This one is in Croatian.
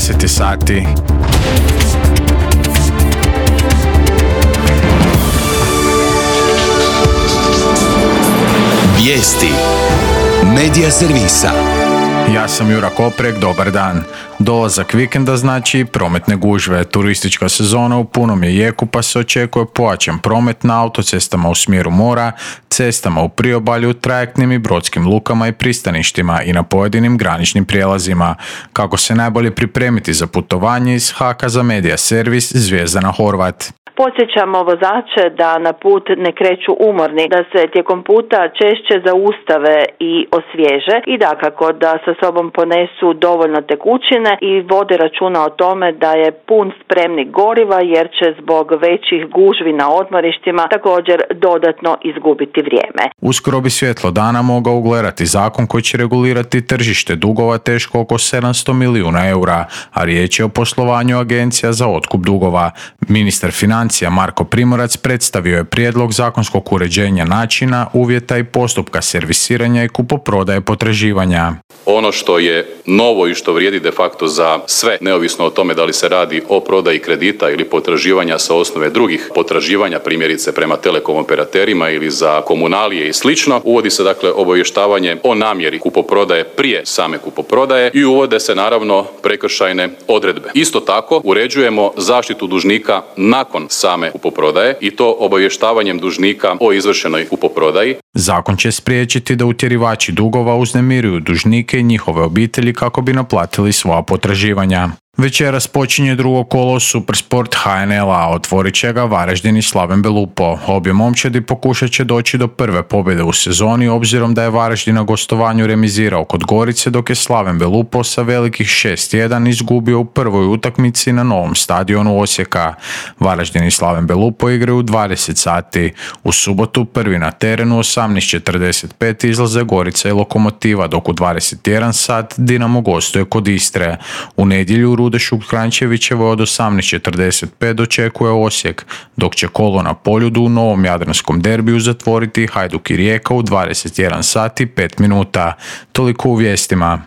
10 sati. Vijesti Medija servisa. Ja sam Jura Koprek, dobar dan. Dolazak vikenda znači prometne gužve. Turistička sezona u punom je jeku pa se očekuje pojačan promet na autocestama u smjeru mora, cestama u priobalju, trajektnim i brodskim lukama i pristaništima i na pojedinim graničnim prijelazima. Kako se najbolje pripremiti za putovanje iz HAK-a za Medija servis Zvjezdana Horvat. Podsjećamo vozače da na put ne kreću umorni, da se tijekom puta češće zaustave i osvježe i dakako da sa sobom ponesu dovoljno tekućine i vode računa o tome da je pun spremnik goriva jer će zbog većih gužvi na odmorištima također dodatno izgubiti vrijeme. Uskoro bi svjetlo dana mogao ugledati zakon koji će regulirati tržište dugova teško oko 700 milijuna eura, a riječ je o poslovanju agencija za otkup dugova. Ministar financija Marko Primorac predstavio je prijedlog zakonskog uređenja načina, uvjeta i postupka servisiranja i kupoprodaje potraživanja. Ono što je novo i što vrijedi de facto za sve, neovisno o tome da li se radi o prodaji kredita ili potraživanja sa osnove drugih potraživanja, primjerice prema telekom operaterima ili za komunalije i slično, uvodi se dakle obavještavanje o namjeri kupoprodaje prije same kupoprodaje i uvode se naravno prekršajne odredbe. Isto tako uređujemo zaštitu dužnika nakon same kupoprodaje i to obavještavanjem dužnika o izvršenoj kupoprodaji. Zakon će spriječiti da utjerivači dugova uznemiruju dužnike i njihove obitelji kako bi naplatili svoja potraživanja. Večeras počinje drugo kolo Supersport HNL-a, otvorit će ga Varaždin i Slaven Belupo. Obje momčadi pokušat će doći do prve pobjede u sezoni obzirom da je Varaždin na gostovanju remizirao kod Gorice dok je Slaven Belupo sa velikih 6-1 izgubio u prvoj utakmici na novom stadionu Osijeka. Varaždin i Slaven Belupo igraju u 20 sati. U subotu prvi na terenu 18:45 izlaze Gorica i Lokomotiva dok u 21 sat Dinamo gostuje kod Istre. U nedjelju Rude Šukrjančevićevo od 18:45 dočekuje Osijek, dok će kolo na Poljudu u novom jadranskom derbiju zatvoriti Hajduk i Rijeka u 21 sati 5 minuta. Toliko u vijestima.